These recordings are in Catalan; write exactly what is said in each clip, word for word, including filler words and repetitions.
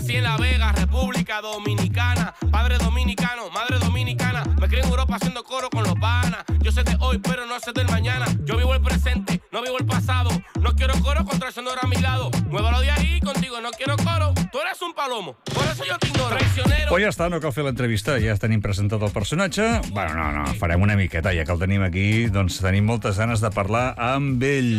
nací en La Vega, República Dominicana. Padre dominicano, madre dominicana. Me crié en Europa haciendo coro con los panas. Yo sé de hoy, pero no sé del mañana. Yo vivo el presente, no vivo el pasado. No quiero coro con traicionero a mi lado. Muévalo de ahí, contigo no quiero coro. Tú eres un palomo, por eso yo te ignoro. Traicionero. Pues ja està, no cal fer l'entrevista, ja tenim presentat el personatge. Bueno, no, no, farem una miqueta, ja que el tenim aquí, doncs tenim moltes ganes de parlar amb ell.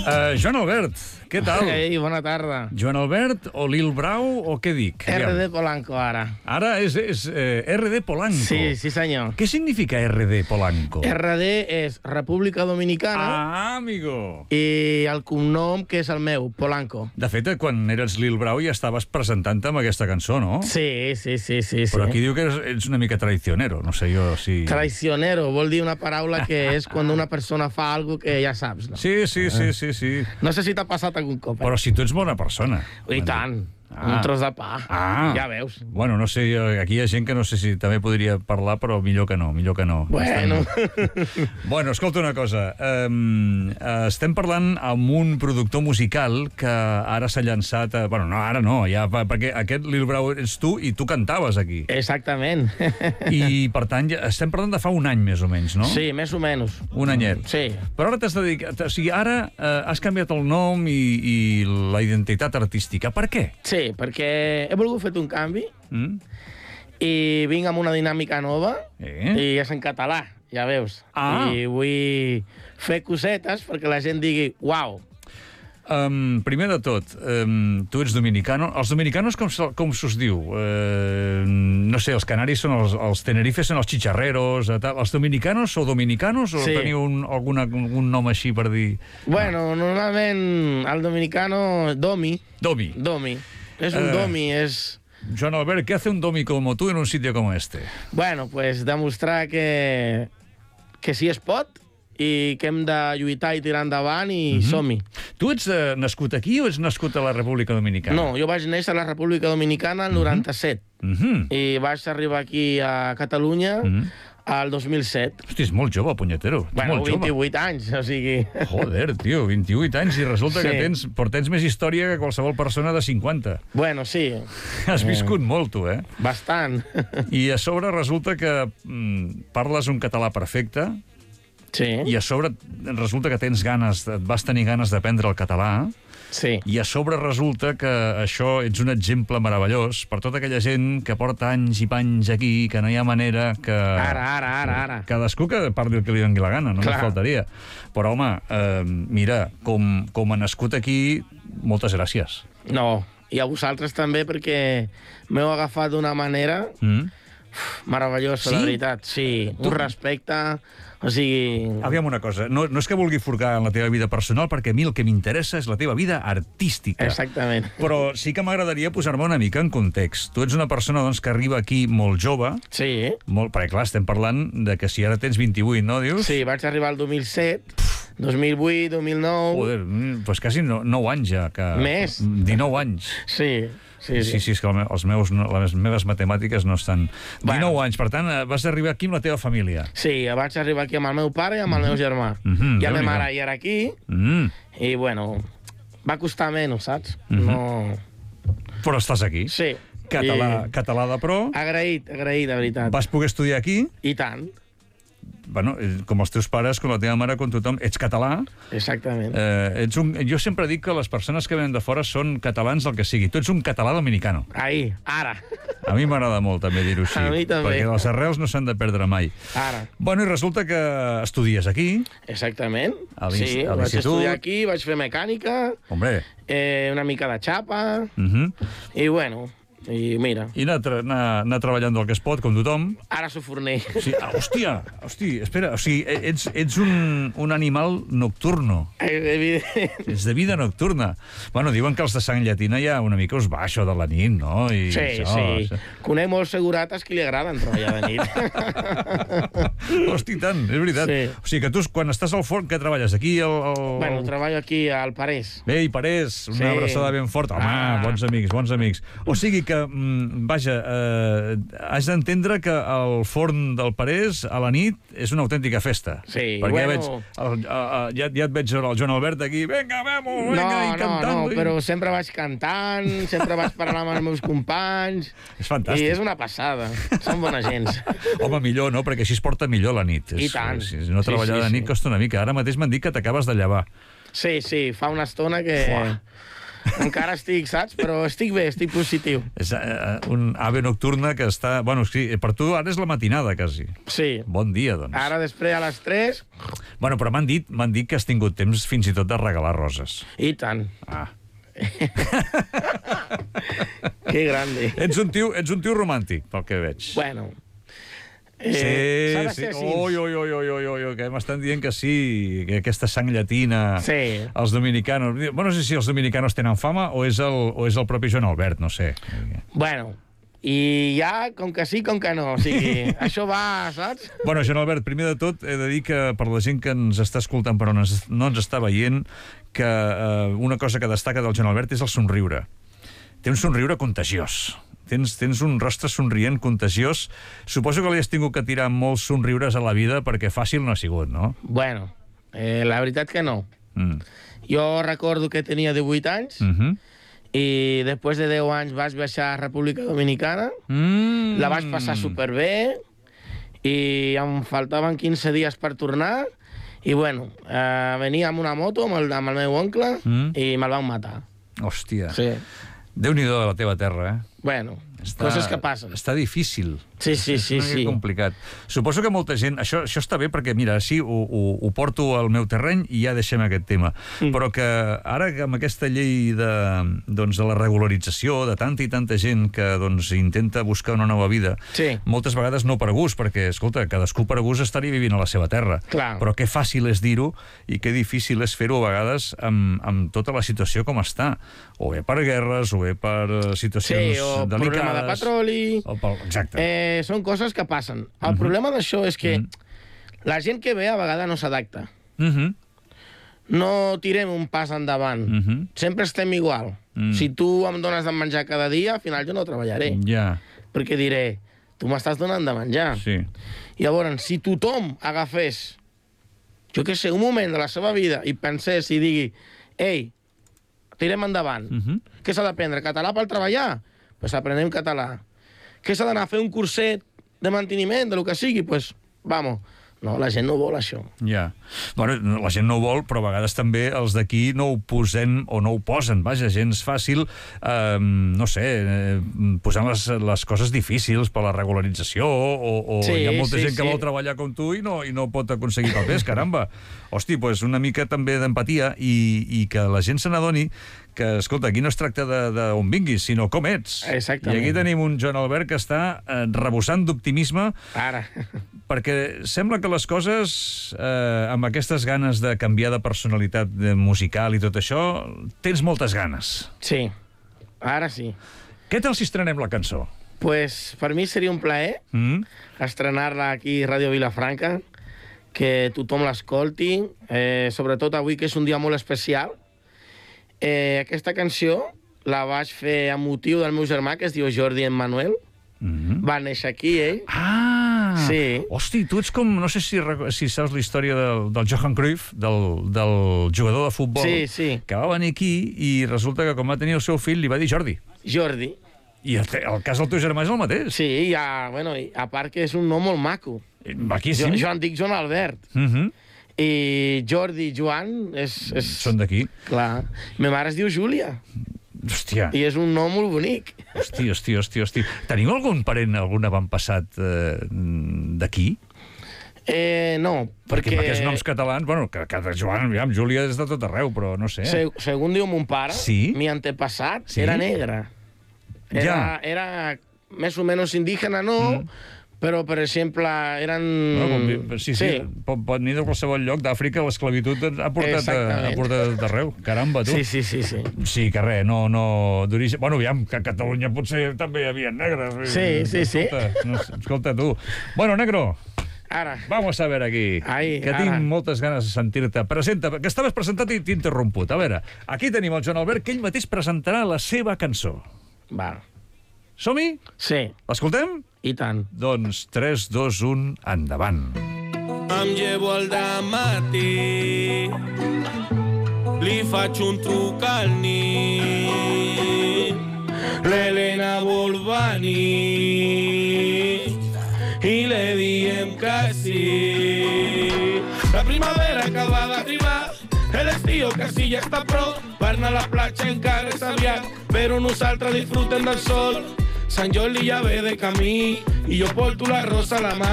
Uh, Joan Albert, què tal? Ei, bona tarda. Joan Albert o Lil Brau o què dic? R D Polanco, ara. Ara és, és eh, R D Polanco. Sí, sí senyor. Què significa R D Polanco? R D és República Dominicana. Ah, amigo. I el cognom, que és el meu, Polanco. De fet, quan eres Lil Brau ja estaves presentant-te amb aquesta cançó, no? Sí, sí, sí, sí. Però sí. aquí diu que ets, ets una mica traicionero, no sé jo si... Traicionero vol dir una paraula que és quan una persona fa algo que ja saps, no? Sí, sí, sí, sí, sí. No sé si t'ha passat algun cop. Eh? Però si tu ets bona persona. I tant. Ah. Un tros de pa. Ah. Ja veus. Bueno, no sé, aquí hi ha gent que no sé si també podria parlar, però millor que no, millor que no. Bueno. Estem... Bueno, escolta una cosa. Um, estem parlant amb un productor musical que ara s'ha llançat... A... Bueno, no, ara no, ja, perquè aquest Lil Brau ets tu i tu cantaves aquí. Exactament. I, per tant, ja estem parlant de fa un any, més o menys, no? Sí, més o menys. Un anyet. Sí. Però ara t'has dedicat... O sigui, ara eh, has canviat el nom i, i la identitat artística. Per què? Sí, perquè he volgut fer un canvi Mm? i vinc amb una dinàmica nova Eh? i és en català, ja veus. Ah. I vull fer cosetes perquè la gent digui uau. Um, primer de tot, um, tu ets dominicano. Els dominicanos com, se- com s'us diu? Uh, no sé, els canaris són els, els tenerifes són els chicharreros, eh, tal. Els dominicanos o dominicanos o Sí. teniu un, alguna, un nom així per dir... Bueno, normalment el dominicano, domi, Domi. domi. És un Eh. domi, és... Joan Albert, ¿qué hace un domi como tú en un sitio como este? Bueno, pues demostrar que, que sí es pot i que hem de lluitar i tirar endavant i Mhm. som-hi. Tu ets eh, nascut aquí o ets nascut a la República Dominicana? No, jo vaig néixer a la República Dominicana el noranta-set Mhm. i vaig arribar aquí a Catalunya Mhm. al dos mil set. Hosti, és molt jove, punyetero. Ets Bueno, molt jove. vint-i-vuit anys, o sigui... Joder, tio, vint-i-vuit anys i resulta Sí. que tens, portens més història que qualsevol persona de cinquanta. Bueno, sí, Has viscut molt, tu, eh? bastant. I a sobre resulta que mm, parles un català perfecte Sí, i a sobre resulta que tens ganes, et vas tenir ganes d'aprendre el català sí. i a sobre resulta que això ets un exemple meravellós per tota aquella gent que porta anys i panys aquí, que no hi ha manera que... Ara, ara, ara, ara. Cadascú que parli el que li doni la gana, no Clar. ens faltaria. Però, home, eh, mira, com, com a nascut aquí, moltes gràcies. No, i a vosaltres també, perquè m'heu agafat d'una manera Mm? meravellosa, Sí? la veritat. Sí, Tu- un respecte, o sigui... Aviam una cosa, no, no és que vulgui forcar en la teva vida personal, perquè a mi el que m'interessa és la teva vida artística. Exactament. Però sí que m'agradaria posar-me una mica en context. Tu ets una persona doncs, que arriba aquí molt jove, Sí, molt, perquè clar, estem parlant de que si ara tens vint-i-vuit, no, dius? sí, vaig arribar al dos mil set, dos mil vuit, dos mil nou... Joder, mm, doncs quasi no, nou anys ja. Que... Més. dinou anys. Sí, sí, Sí, sí, és que el me- els meus, no, les meves matemàtiques no estan... Bueno. dinou anys, per tant, eh, vas arribar aquí amb la teva família. Sí, vaig arribar aquí amb el meu pare i amb el meu germà. Mhm, I la Déu-n'hi-do. meva mare ja era aquí, Mm. i bueno, va costar menys, saps? Mhm. No... Però estàs aquí. Sí. Català, I... català de pro. Agraït, agraït, de veritat. Vas poder estudiar aquí. I tant, Bueno, eh, com els teus pares, com la teva mare, com tothom. Ets català. exactament. Eh, ets un... Jo sempre dic que les persones que venen de fora són catalans del que sigui. Tu ets un català dominicano. Ahí, ara. A mi m'agrada molt també dir-ho així. A mi també. Perquè les arrels no s'han de perdre mai. Ara. Bueno, i resulta que estudies aquí. Exactament. A l'ins- Sí, a vaig l'institut. estudiar aquí, vaig fer mecànica, Hombre. eh, una mica de xapa, Uh -huh. i bueno, i mira, I anar, tra anar, anar treballant del que es pot, com tothom. ara sóc forner. Sí, ah, hòstia, hòstia, espera, o sigui, ets, ets un, un animal nocturno. Evident. Ets de vida nocturna. Bueno, diuen que els de sang llatina ja una mica us va això de la nit, no? I Sí, això, sí. Conec molts segurates que li agraden treballar de nit. Hosti, tant, és veritat. Sí. O sigui que tu, quan estàs al forn, què treballes? Aquí, al... al... Bueno, treballo aquí al Parés. Bé, i Parés, una Sí. abraçada ben forta. Home, Ah. bons amics, bons amics. O sigui que, mm, vaja, eh, has d'entendre que el forn del Parés a la nit és una autèntica festa. Sí, perquè bueno... veig, el, el, ja, ja et veig el Joan Albert aquí, vinga, vemo, vinga, no, i cantant. No, no, però sempre vaig cantant, sempre vaig parlar amb els meus companys. És fantàstic. I és una passada. Són bona gent. Home, millor, no? Perquè així es porta millor la nit. I és, tant. És, no treballar sí, sí, de nit sí. costa una mica. Ara mateix m'han dit que t'acabes de llevar. Sí, sí, fa una estona que... Fuà. Encara estic, saps? Però estic bé, estic positiu. És uh, un ave nocturna que està... Bueno, sí, per tu ara és la matinada, quasi. Sí. Bon dia, doncs. Ara, després, a les tres... Bueno, però m'han dit, m'han dit que has tingut temps fins i tot de regalar roses. I tant. Ah. Que grande. Ets un tio, ets un tio romàntic, pel que veig. Bueno... Eh, sí, sí. Ui, ui, ui, ui, ui, ui, que m'estan dient que sí, que aquesta sang llatina... Sí. Els dominicanos... Bueno, no sé si els dominicanos tenen fama o és el, o és el propi Joan Albert, no sé. Bueno, i ja, com que sí, com que no. O sigui, això va, saps? Bueno, Joan Albert, primer de tot, he de dir que per la gent que ens està escoltant però no ens, no ens està veient, que eh, una cosa que destaca del Joan Albert és el somriure. Té un somriure contagiós. Tens, tens un rostre somrient, contagiós. Suposo que li has tingut que tirar molts somriures a la vida perquè fàcil no ha sigut, no? Bueno, eh, la veritat que no. Mm. Jo recordo que tenia divuit anys Mm -hmm. i després de deu anys vaig baixar a República Dominicana. Mm. La vaig passar superbé i em faltaven quinze dies per tornar i, bueno, eh, venia amb una moto amb el, amb el meu oncle Mm. i me'l van matar. Hòstia. Sí. Déu-n'hi-do de la teva terra, eh? Bueno, Està, coses que passen. Està difícil. Sí, sí, sí, és una sí. mica complicat. Suposo que molta gent... Això, això està bé perquè, mira, sí, ho, ho, ho porto al meu terreny i ja deixem aquest tema. Mm. Però que ara, amb aquesta llei de, doncs, de la regularització, de tanta i tanta gent que doncs, intenta buscar una nova vida, Sí. moltes vegades no per gust, perquè, escolta, cadascú per gust estaria vivint a la seva terra. Clar. Però que fàcil és dir-ho i que difícil és fer-ho a vegades amb, amb tota la situació com està. O bé per guerres, o bé per situacions Sí, o delicades. problema de petroli... O pel... Exacte. Eh, són coses que passen. El Uh-huh. problema d'això és que Uh-huh. la gent que ve a vegades no s'adapta. Uh -huh. No tirem un pas endavant. Uh -huh. Sempre estem igual. Mm. Si tu em dones de menjar cada dia, al final jo no treballaré. Ja, Perquè diré, tu m'estàs donant de menjar. sí. Llavors, si tothom agafés, jo què sé, un moment de la seva vida i pensés i digui, ei, tirem endavant. Uh -huh. Què s'ha d'aprendre? Català per treballar? Doncs pues aprenem català. Què s'ha d'anar a fer un curset de manteniment, de lo que sigui? Doncs, pues, vamos. No, la gent no vol això. Ja. Bueno, la gent no ho vol, però a vegades també els d'aquí no ho posem o no ho posen. Vaja, gens fàcil, eh, no sé, eh, posant les, les coses difícils per la regularització o, o Sí, hi ha molta sí, gent que sí. vol treballar com tu i no, i no pot aconseguir papers, caramba. Hosti, pues una mica també d'empatia i, i que la gent se n'adoni que, escolta, aquí no es tracta d'on vinguis, sinó com ets. Exactament. I aquí tenim un Joan Albert que està eh, rebossant d'optimisme Ara. perquè sembla que les coses, eh, amb aquestes ganes de canviar de personalitat de musical i tot això, tens moltes ganes. Sí, ara sí. Què tal si estrenem la cançó? Pues per mi seria un plaer Mm? estrenar-la aquí a Ràdio Vilafranca, que tothom l'escolti, eh, sobretot avui, que és un dia molt especial. Eh, aquesta canció la vaig fer amb motiu del meu germà, que es diu Jordi Emmanuel. Mm-hmm. Va néixer aquí, ell. Ah! Sí. Hosti, tu ets com... No sé si, rec- si saps la història del, del Johan Cruyff, del, del jugador de futbol, Sí, sí. que va venir aquí i resulta que quan va tenir el seu fill li va dir Jordi. Jordi. I el, te- el cas del teu germà és el mateix. Sí, i a, bueno, i a part que és un nom molt maco. Aquí sí. Jo, jo em dic Joan Albert. Mm-hmm. I Jordi, Joan, és... és... Són d'aquí. Clar. Ma mare es diu Júlia. Hòstia. I és un nom molt bonic. Hosti, hosti, hosti, hosti. Teniu algun parent, algun avantpassat eh, d'aquí? Eh, no, Perquè perquè... amb aquests noms catalans, bueno, que, que Joan, aviam, Júlia és de tot arreu, però no sé. Se, segons diu mon pare, Sí? mi antepassat Sí? era negre. Era, Ja. era més o menys indígena, no, Mm. però, per exemple, eren... No, com, sí, sí, sí. Pot, pot venir de qualsevol lloc d'Àfrica, l'esclavitud ha portat, a, ha Exactament. portat d'arreu. Caramba, tu. Sí, sí, sí, sí. Sí, que res, no, no d'origen... Bueno, aviam, que a Catalunya potser també hi havia negres. Sí, sí, sí. Escolta, no, escolta tu. Bueno, negro, Ara, vamos a ver aquí, Ai, que ara. tinc moltes ganes de sentir-te. Presenta, que estaves presentat i t'he interromput. A veure, aquí tenim el Joan Albert, que ell mateix presentarà la seva cançó. va. Som-hi? Sí, L'escoltem? i tant. Doncs tres, dos, un, endavant. Em llevo el dematí, li faig un truc al nit, l'Helena vol venir i le diem que sí. La primavera acaba d'arribar, l'estiu quasi ja està prou, per anar a la platja encara és aviat, però nosaltres disfrutem del sol. Sant Jordi ja ve de camí i jo porto la rosa a la mà.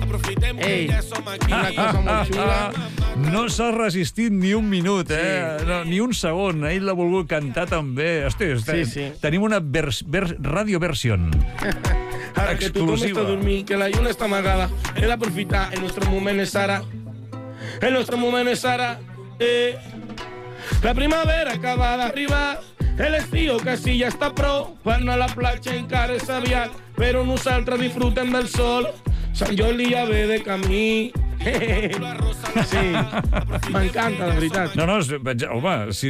Aprofitem que ja som aquí. Una cosa molt xula. No s'ha resistit ni un minut, eh? Sí. No, ni un segon. Ell l'ha volgut cantar també. Hosti, Sí, sí. tenim una vers, vers, radioversion. Ara que tothom està dormint, que la lluna està amagada, hem d'aprofitar, el nostre moment és ara. El nostre moment és ara. Eh. La primavera acaba d'arribar, l'estiu quasi ja està prou, per anar a la platja encara és aviat, però nosaltres disfrutem del sol. Sant Jordi ja ve de camí. Sí, m'encanta, de veritat. No, no, home, si,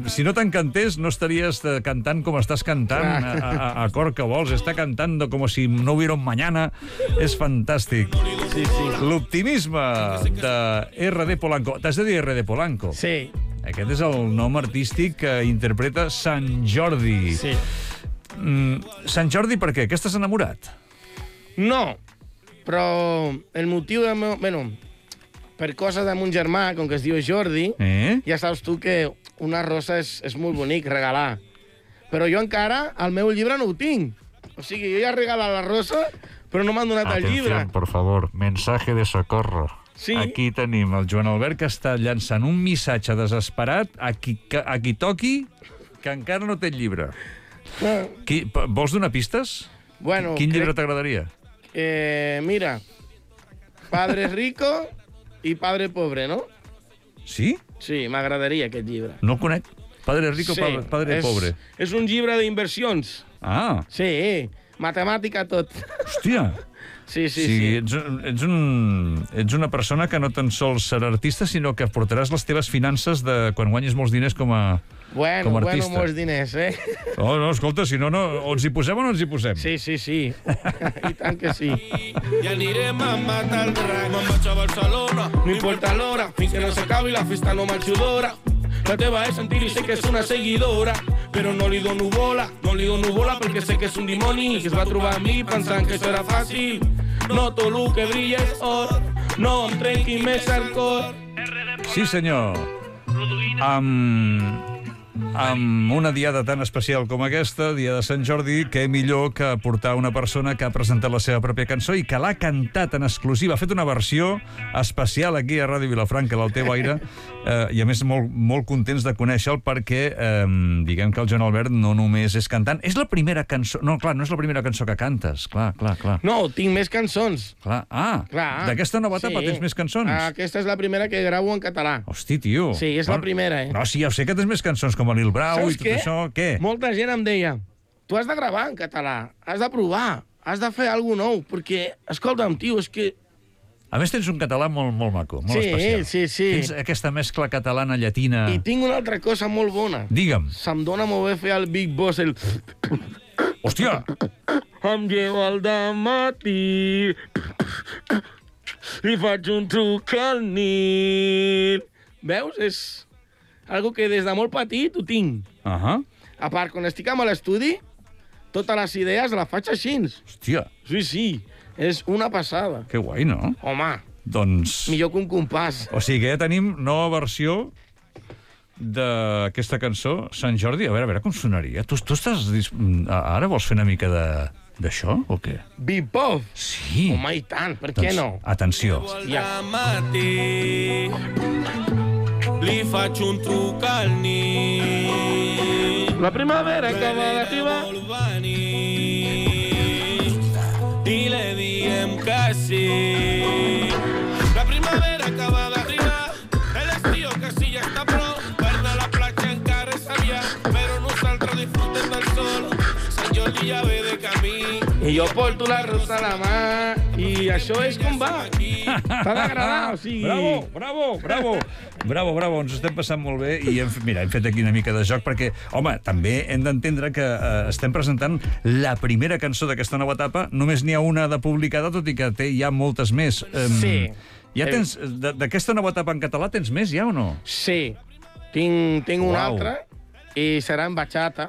si no t'encantés no estaries cantant com estàs cantant, a, a, a cor que vols, està cantant com si no hubiera un mañana. És fantàstic. Sí, sí. L'optimisme de R D Polanco. T'has de dir R D Polanco? Sí. Aquest és el nom artístic que interpreta Sant Jordi. Sí. Mm, Sant Jordi per què? Que estàs enamorat? No, però el motiu del meu... Bueno, per coses de mon germà, com que es diu Jordi, Eh? ja saps tu que una rosa és, és molt bonic regalar. Però jo encara, el meu llibre no ho tinc. O sigui, jo ja he regalat la rosa, però no m'han donat el llibre. Atenció, por favor, mensaje de socorro. Sí. Aquí tenim el Joan Albert que està llançant un missatge desesperat a qui, a qui toqui que encara no té el llibre. Ah, Qui, p- vols donar pistes? bueno, Quin llibre crec- t'agradaria? Eh, mira, Padre Rico i Padre Pobre, no? Sí? Sí, m'agradaria aquest llibre. No el conec. Padre Rico, Sí, padre, padre és, Pobre. És un llibre d'inversions. Ah, Sí, matemàtica tot. hòstia. Sí, sí, Sí, sí. ets, un- ets, un, ets una persona que no tan sols serà artista, sinó que portaràs les teves finances de quan guanyis molts diners com a, Bueno, com a bueno, artista. molts diners, eh? Oh, no, escolta, si no, no, o ens hi posem o no ens hi posem? Sí, sí, sí. I tant que sí. I anirem a matar el drac. Me'n vaig a Barcelona, No importa l'hora, fins que no s'acabi la festa no marxo d'hora. La teva és sentir i sé que és una seguidora, però no li dono bola, no li dono bola perquè sé que és un dimoni que es va trobar a mi pensant que això era fàcil. No tot el que brilla és or, no em trenqui més el cor. Sí, senyor. Amb, amb una diada tan especial com aquesta, dia de Sant Jordi, què millor que portar una persona que ha presentat la seva pròpia cançó i que l'ha cantat en exclusiva. Ha fet una versió especial aquí a Ràdio Vilafranca, del teu aire, eh, i a més molt, molt contents de conèixer-lo perquè eh, diguem que el Joan Albert no només és cantant, és la primera cançó... No, clar, no és la primera cançó que cantes, clar, clar, clar. No, tinc més cançons. clar. Ah, Clar. d'aquesta nova etapa Sí. tens més cançons? Aquesta és la primera que gravo en català. Hosti, tio. Sí, és la primera, eh? No, sí, ja ho sé que tens més cançons com a Lil Brau i Saps tot què? això. Què? Molta gent em deia, tu has de gravar en català, has de provar, has de fer alguna nou, perquè, escolta'm, tio, és que... A més, tens un català molt, molt maco, molt Sí, especial. sí, sí. Tens aquesta mescla catalana-llatina. I tinc una altra cosa molt bona. Digue'm. Se'm dona molt bé fer el Big Boss, el... Hòstia! Em llevo al dematí, li faig un truc al nit. Veus? És algo que des de molt petit ho tinc. Uh -huh. A part, quan estic amb l'estudi, totes les idees les faig així. Hòstia, Sí, sí, és una passada. que guai, no? Home, Doncs... millor que un compàs. O sigui que ja tenim nova versió d'aquesta cançó, Sant Jordi. A veure, a veure com sonaria. Tu, tu estàs... dis- Ara vols fer una mica de d'això, o què? Bipov! Sí. Home, i tant, per què no? Atenció. Ja. matí, li faig un truc al nit. La primavera acaba d'arribar. Vol venir i le diem que sí. La primavera acaba d'arribar, l'estiu quasi ja està prou, per anar a la platja encara és aviat, però nosaltres disfrutem del sol. Sant Jordi ja ve de camí. I jo porto la rosa a la mà I això és com va. T'ha d'agradar, o sigui... Bravo, bravo, bravo. Bravo, bravo, ens ho estem passant molt bé i hem, mira, hem fet aquí una mica de joc perquè, home, també hem d'entendre que eh, estem presentant la primera cançó d'aquesta nova etapa, només n'hi ha una de publicada, tot i que té ja moltes més. Um, Sí. Ja tens, d'aquesta nova etapa en català tens més ja o no? Sí, tinc, tinc una Uau. altra i serà en bachata.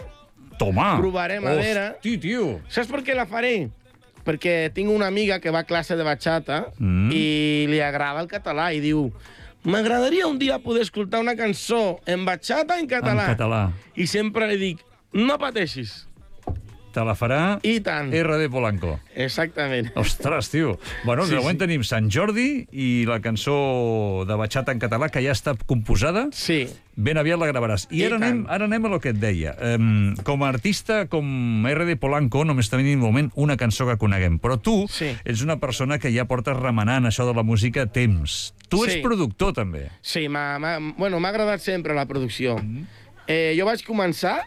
Toma! Provarem a veure. Hosti, tio! Saps per què la faré? Perquè tinc una amiga que va a classe de bachata Mm. i li agrada el català i diu m'agradaria un dia poder escoltar una cançó en bachata en català. En català. I sempre li dic, no pateixis. Te la farà I tant. R D Polanco. Exactament. Ostres, tio. Bueno, Sí, de moment sí. tenim Sant Jordi i la cançó de bachata en català que ja està composada. Sí. Ben aviat la gravaràs. I, I ara, tant. anem, ara anem a lo que et deia. Um, com a artista, com R D Polanco, només tenim de moment una cançó que coneguem. Però tu Sí. ets una persona que ja portes remenant això de la música temps. Tu ets Sí. productor, també. Sí, m'ha m'ha- bueno, m'ha agradat sempre la producció. Mm-hmm. Eh, jo vaig començar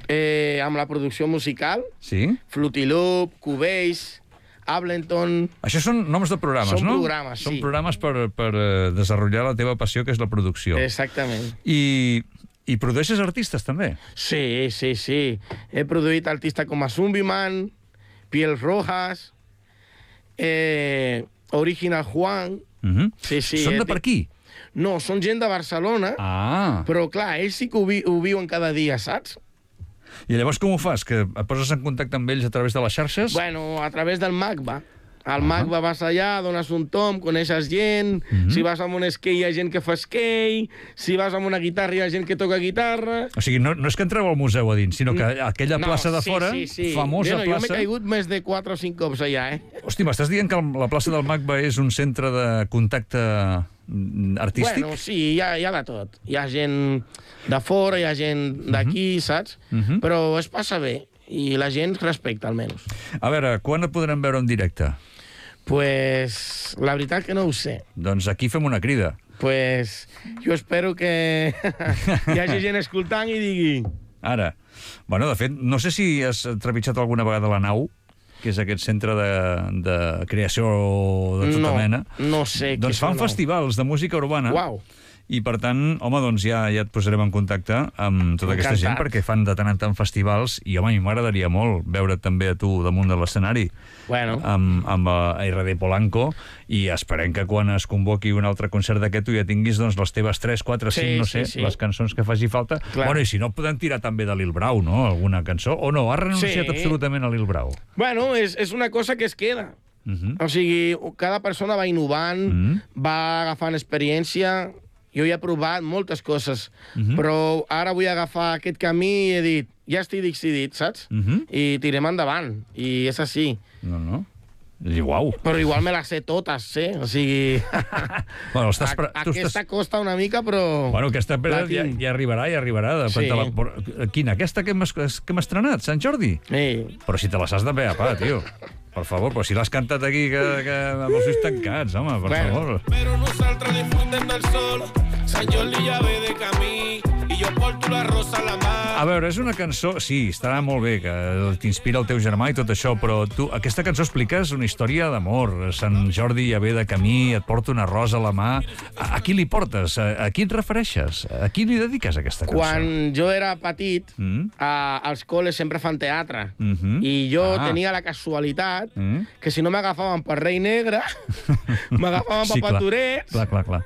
eh, amb la producció musical, Sí? Fruity Loop, Cubase, Ableton... Això són noms de programes, Són no? programes, Són sí. programes per, per eh, desenvolupar la teva passió, que és la producció. Exactament. I, I produeixes artistes, també? Sí, sí, sí. He produït artistes com a Zumbiman, Piel Rojas, eh, Original Juan... Uh -huh. Sí, sí. Són de eh, per aquí? No, són gent de Barcelona, Ah. però clar, ells sí que ho, vi ho viuen cada dia, saps? I llavors com ho fas? Que et poses en contacte amb ells a través de les xarxes? Bueno, a través del MACBA. Al MACBA vas allà, dones un tom, coneixes gent, Mhm. si vas amb un skate hi ha gent que fa skate, si vas amb una guitarra hi ha gent que toca guitarra... O sigui, no, no és que entreu al museu a dins, sinó que aquella plaça de sí, fora, sí, sí. famosa bueno, Jo m'he plaça... caigut més de quatre o cinc cops allà, eh? Hosti, m'estàs dient que la plaça del MACBA és un centre de contacte mm, artístic? Bueno, sí, hi ha, hi ha de tot. Hi ha gent de fora, hi ha gent d'aquí, saps? Mhm. Però es passa bé, i la gent respecta, almenys. A veure, quan et podrem veure en directe? Pues la veritat que no ho sé. Doncs aquí fem una crida. Pues jo espero que hi hagi gent escoltant i digui... Ara. Bueno, de fet, no sé si has trepitjat alguna vegada la nau, que és aquest centre de, de creació de tota no, mena. no sé. Doncs fan festivals de música urbana. Uau. I, per tant, home, doncs ja, ja et posarem en contacte amb tota aquesta gent, Encantat. perquè fan de tant en tant festivals, i, home, a mi m'agradaria molt veure't també a tu damunt de l'escenari Bueno. amb, amb eh, R D Polanco, i esperem que quan es convoqui un altre concert d'aquest tu ja tinguis doncs, les teves tres, quatre, Sí, cinc, no sí, sé, sí. les cançons que faci falta. Clar. Bueno, i si no, podem tirar també de Lil Brau, no?, alguna cançó. O no, ha renunciat Sí. absolutament a Lil Brau. Bueno, és, és una cosa que es queda. Uh -huh. O sigui, cada persona va innovant, Mhm. va agafant experiència. Jo ja he provat moltes coses, Mhm. però ara vull agafar aquest camí i he dit, ja estic decidit, saps? Mhm. I tirem endavant, i és així. No, no. I uau. Però igual me les sé totes, eh? O sigui... Bueno, estàs, a, pre- tu aquesta estàs... costa una mica, però... Bueno, aquesta la pera ja, tinc. ja arribarà, ja arribarà. De Sí. la... Però, quina? Aquesta que hem, es- que hem estrenat, Sant Jordi? Sí. Però si te la saps de pe a pa, tio. Per favor, però si l'has cantat aquí que, que amb els ulls tancats, home, per Bueno. favor. Pero nosaltres disfruten del sol. San Jordi ya ve de camí. Y yo porto la rosa a la mar. A veure, és una cançó... Sí, estarà molt bé, que t'inspira el teu germà i tot això, però tu, aquesta cançó expliques una història d'amor. Sant Jordi ja ve de camí, et porta una rosa a la mà. A, a qui li portes? A, a qui et refereixes? A qui li dediques aquesta cançó? Quan jo era petit, Mm? a, als col·les sempre fan teatre. Mhm. I jo Ah. tenia la casualitat Mm? que si no m'agafaven per rei negre, m'agafaven per paturets, Clar, clar, clar.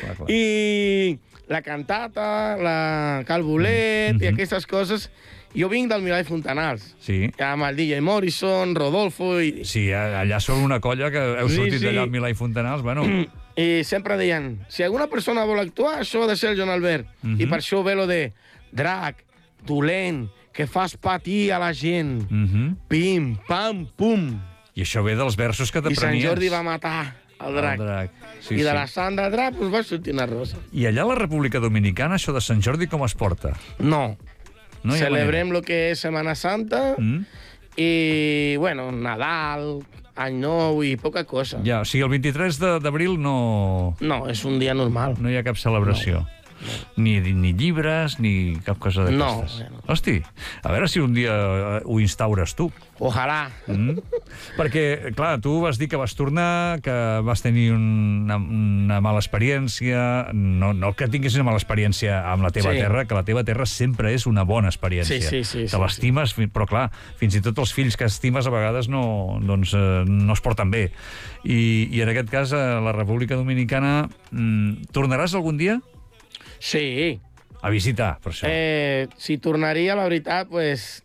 clar, clar. i la cantata, la calbolet, Mhm. i aquestes coses. Jo vinc del Milà i Fontanals, Sí. amb el D J Morrison, Rodolfo, i, Sí, a- allà són una colla que heu Sí, sortit sí. d'allà al Milà i Fontanals, bueno... i sempre deien, si alguna persona vol actuar, això ha de ser el Joan Albert. Mhm. I per això ve lo de drac, dolent, que fas patir a la gent. Mhm. Pim, pam, pum. I això ve dels versos que I Sant t'aprenies. Jordi va matar el drac. El drac. Sí, I de sí. la Sandra Drac pues, va sortir una rosa. I allà a la República Dominicana, això de Sant Jordi com es porta? No. No hi ha Celebrem lo que és Setmana Santa manera. Mm? i, bueno, Nadal, Any Nou i poca cosa. Ja, o sigui, el vint-i-tres de- d'abril no, No, és un dia normal. no hi ha cap celebració. Ni, ni llibres, ni cap cosa d'aquestes. No, no. Hosti, a veure si un dia ho instaures tu. Ojalà. Mm. Perquè, clar, tu vas dir que vas tornar, que vas tenir una, una mala experiència, no, no que tinguis una mala experiència amb la teva Sí. terra, que la teva terra sempre és una bona experiència. Sí, sí, sí, Te sí, l'estimes, fi- però clar, fins i tot els fills que estimes a vegades no, doncs, eh, no es porten bé. I, I en aquest cas, a la República Dominicana, mm, tornaràs algun dia Sí. a visitar, per això? Eh, si tornaria, la veritat, pues,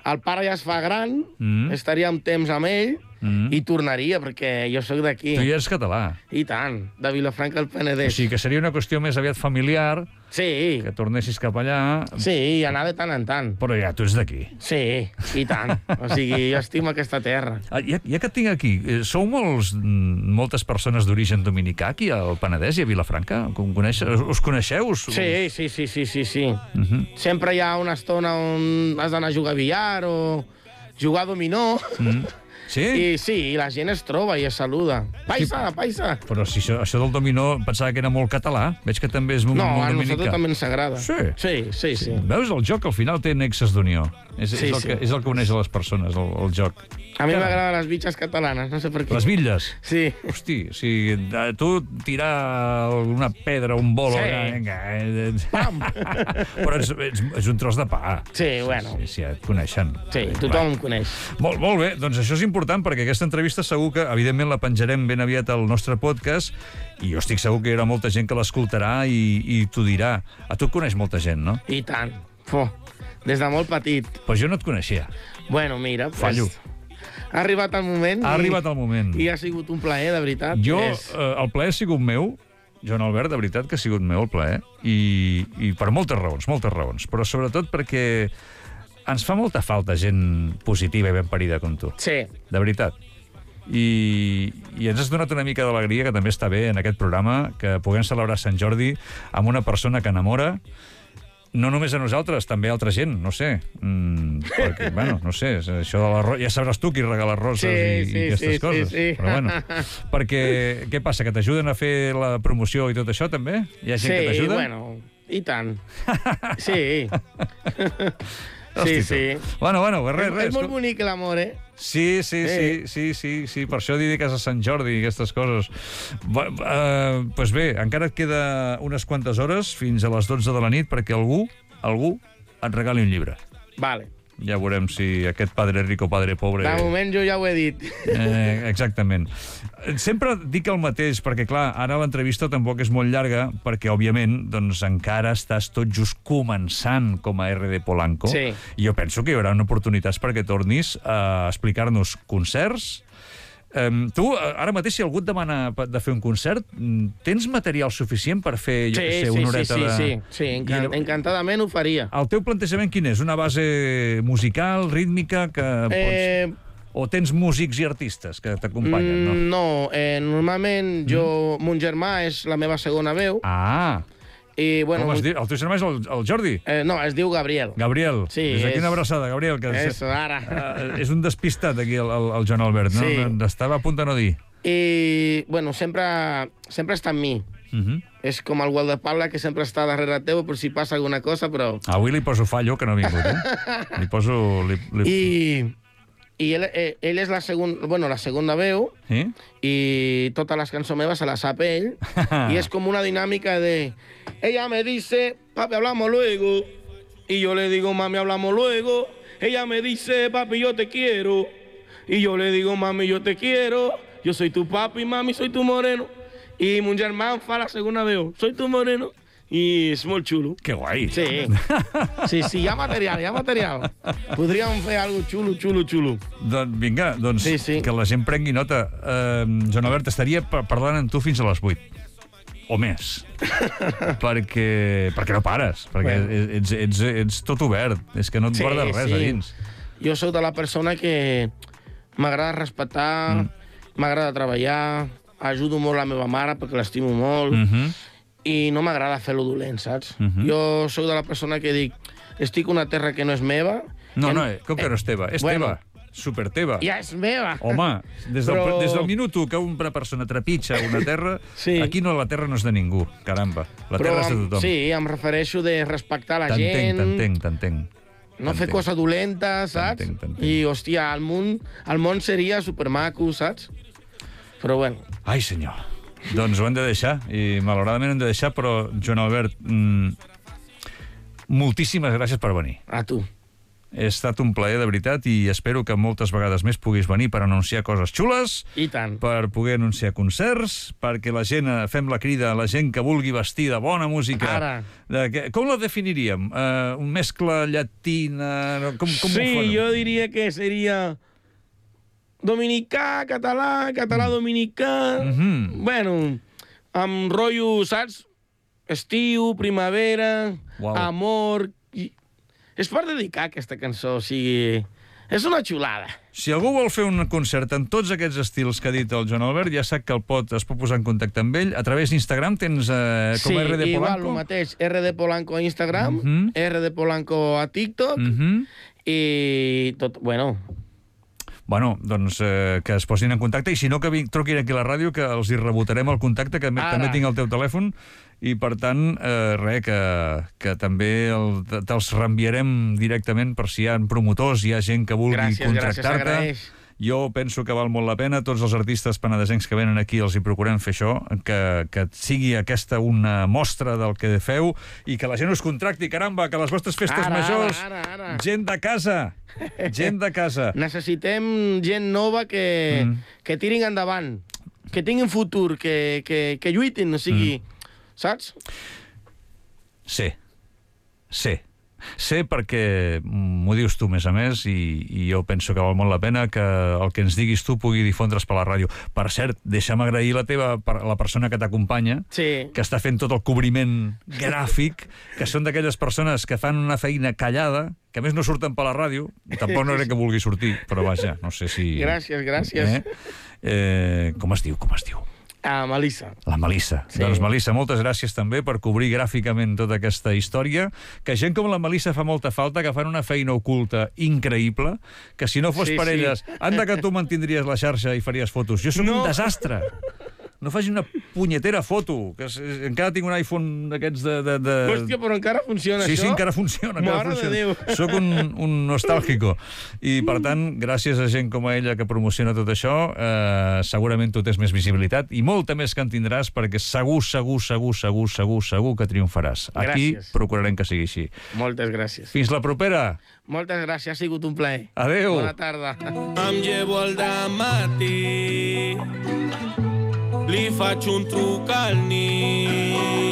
el pare ja es fa gran, Mm. estaria un temps amb ell Mm. i tornaria, perquè jo sóc d'aquí. Tu ja ets català. I tant, de Vilafranca del O Penedès. sigui que seria una qüestió més aviat familiar, Sí, que tornessis cap allà, sí, i anar de tant en tant. però ja tu ets d'aquí. Sí, i tant. O sigui, jo estimo aquesta terra. Ah, ja, ja que et tinc aquí, eh, sou molts, mm, moltes persones d'origen dominicà aquí al Penedès i a Vilafranca? Com coneix, us coneixeu? Us... Sí, sí, sí, sí, sí, sí. Uh -huh. Sempre hi ha una estona on has d'anar a jugar a billar o jugar a dominó. mm. Sí? I sí, la gent es troba i es saluda. Paisa, paisa. Però si això, això del dominó pensava que era molt català. Veig que també és molt, No, molt a dominicà. nosaltres també ens agrada. Sí? Sí, sí, sí. Veus, el joc al final té nexes d'unió. És, Sí, és, el sí. que, és el que uneix a les persones, el, el joc. A mi m'agraden les bitxes catalanes, no sé per què. Les bitlles. Sí. Hosti, o sigui, eh, tu tirar una pedra, un bolo... Sí. allà, vinga, eh, eh. Pam! Però és, és, és un tros de pa. Sí, bueno. Sí, sí, et coneixen. Sí, tothom em coneix. Molt, molt bé, doncs això és important perquè aquesta entrevista segur que, evidentment, la penjarem ben aviat al nostre podcast i jo estic segur que hi haurà molta gent que l'escoltarà i, i t'ho dirà. A tu et coneix molta gent, no? I tant. Fo, des de molt petit. Però jo no et coneixia. Bueno, mira, pues, Fallo. ha arribat el moment. Ha i, arribat el moment. I ha sigut un plaer, de veritat. Jo, És... eh, el plaer ha sigut meu, Joan Albert, de veritat que ha sigut meu el plaer, i, i per moltes raons, moltes raons, però sobretot perquè ens fa molta falta gent positiva i ben parida com tu. Sí, De veritat. I, i ens has donat una mica d'alegria, que també està bé en aquest programa, que puguem celebrar Sant Jordi amb una persona que enamora, no només a nosaltres, també a altra gent, no sé. Mm, perquè, bueno, no sé, això de l'arròs... Ja sabràs tu qui regala roses Sí, i, sí, i aquestes sí, coses. sí, sí. Però bueno, perquè, què passa, que t'ajuden a fer la promoció i tot això, també? Hi ha gent que sí, t'ajuda? bueno, i tant. Sí. Hosti, sí, tu. sí. Bueno, bueno, res, res. És molt bonic l'amor, eh? Sí, sí, sí, sí, sí, sí, per això dediques a Sant Jordi i aquestes coses. Doncs uh, pues bé, encara et queda unes quantes hores fins a les dotze de la nit perquè algú, algú et regali un llibre. Vale. Ja veurem si aquest padre rico, padre pobre... De moment jo ja ho he dit. Eh, exactament. Sempre dic el mateix, perquè, clar, ara l'entrevista tampoc és molt llarga, perquè, òbviament, doncs, encara estàs tot just començant com a R D Polanco. Sí. I jo penso que hi haurà oportunitats perquè tornis a explicar-nos concerts. Um, tu, ara mateix, si algú et demana de fer un concert, tens material suficient per fer, jo Sí, què sé, sí, una sí, horeta sí, de... sí, sí, encan encantadament ho faria. El teu plantejament quin és? Una base musical, rítmica, que pots... Eh, O tens músics i artistes que t'acompanyen, no? mm, no, eh, normalment jo, mon germà és la meva segona veu, Ah! i bueno... Com es mon- diu? El teu germà és el, el Jordi? Eh, I no, es diu Gabriel. Gabriel. Sí, Des d'aquí és- una abraçada, Gabriel. Que Eso, ara. Uh, és un despistat, aquí, el, el, el Joan Albert, no? Sí. Estava a punt de no dir. I, bueno, sempre, sempre està amb mi. Uh -huh. És com el guardaespatlla que sempre està darrere teu per si passa alguna cosa, però... Avui li poso fallo, que no ha vingut, eh? Li poso... Li, li... I, i ell, eh, ell és la, segon, bueno, la segona veu, Sí? y todas las canciones meves se las sabe él. Y es como una dinámica de... Ella me dice, papi, hablamos luego. Y yo le digo, mami, hablamos luego. Ella me dice, papi, yo te quiero. Y yo le digo, mami, yo te quiero. Yo soy tu papi, mami, soy tu moreno. Y mon germà fa la segona veu. Soy tu moreno. I és molt xulo. Que guai. Sí. Sí, sí, hi ha material, hi ha material. Podríem fer alguna cosa xulo, xulo, xulo. Doncs vinga, doncs Sí, sí. que la gent prengui nota. Uh, Joan Albert, estaria pa- parlant amb tu fins a les vuit. O més. perquè, perquè no pares. Perquè Bueno. ets, ets, ets tot obert. És que no et guardes res a dins. Jo sóc de la persona que m'agrada respectar, Mm. m'agrada treballar, ajudo molt la meva mare perquè l'estimo molt, Uh -huh. i no m'agrada fer-lo dolent, saps? Mhm. Jo sóc de la persona que dic, estic a una terra que no és meva. No, que no, com que no és teva? És bueno, teva. super teva. Ja és meva. Home, des del, Però- des del minut u que una persona trepitja una terra, Sí. aquí no, la terra no és de ningú, caramba. La Però terra és de em- tothom. Sí, em refereixo de respectar la T'entenc, gent, t'entenc, t'entenc. no fer T'entenc. cosa dolenta, saps? T'entenc, t'entenc. I, hòstia, el món, el món seria supermaco, saps? Però bueno, Ai, senyor. Doncs ho hem de deixar, i malauradament hem de deixar, però, Joan Albert, mm, moltíssimes gràcies per venir. a tu. Ha estat un plaer, de veritat, i espero que moltes vegades més puguis venir per anunciar coses xules, I tant. per poder anunciar concerts, perquè la gent, eh, fem la crida a la gent que vulgui vestir de bona música. Ara. De, que, com la definiríem? Uh, un mescla llatina? no? Com, com ho Sí, farem? jo diria que seria dominicà, català, català dominicà... Mhm. Bueno, amb rotllo, saps? Estiu, primavera, Uau. amor... I... És per dedicar aquesta cançó, o sigui... És una xulada. Si algú vol fer un concert en tots aquests estils que ha dit el Joan Albert, ja sap que el pot, es pot posar en contacte amb ell. A través d'Instagram tens eh, com Sí, R D igual, Polanco. el mateix. R D Polanco a Instagram, Mhm. R D Polanco a TikTok, Mhm. i tot... Bueno, Bueno, doncs eh, que es posin en contacte, i si no, que vi- truquin aquí a la ràdio, que els hi rebotarem el contacte, que Ara. també tinc el teu telèfon, i per tant, eh, res, que, que també el, te- te'ls reenviarem directament per si hi ha promotors, hi ha gent que vulgui gràcies, gràcies, contractar-te. s'agraeix. Jo penso que val molt la pena. Tots els artistes penedesencs que venen aquí els hi procurem fer això, que, que sigui aquesta una mostra del que feu i que la gent us contracti, caramba, que les vostres festes Ara, majors... ara, ara, ara. Gent de casa! Gent de casa! Necessitem gent nova que, Mm. que tirin endavant, que tinguin futur, que, que, que lluitin, o sigui, saps? Sé. Sé. Sé perquè m'ho dius tu, més a més, i, i jo penso que val molt la pena que el que ens diguis tu pugui difondre's per la ràdio. Per cert, deixa'm agrair la teva, per- la persona que t'acompanya, Sí. que està fent tot el cobriment gràfic, que són d'aquelles persones que fan una feina callada, que a més no surten per la ràdio, i tampoc no crec que vulgui sortir, però vaja, no sé si... Gràcies, gràcies. Eh? Eh, com es diu, com es diu? A Melissa. La Melissa. Sí. Doncs, Melissa, moltes gràcies també per cobrir gràficament tota aquesta història, que gent com la Melissa fa molta falta, que fan una feina oculta increïble, que si no fos Sí, per sí. elles, anda que tu mantindries la xarxa i faries fotos. Jo sóc No. un desastre. No faci una punyetera foto, que és, encara tinc un iPhone d'aquests de... de, de... Hòstia, però encara funciona, Sí, això? sí, encara funciona. Encara Mare de funciona. Déu. Soc un, un nostàlgico. I, per tant, gràcies a gent com a ella que promociona tot això, eh, segurament tu tens més visibilitat i molta més que en tindràs, perquè segur, segur, segur, segur, segur, segur que triomfaràs. Aquí Gràcies. procurarem que sigui així. Moltes gràcies. Fins la propera. Moltes gràcies, ha sigut un plaer. Adéu. Bona tarda. Em llevo el dematí, li faig un truc al nit.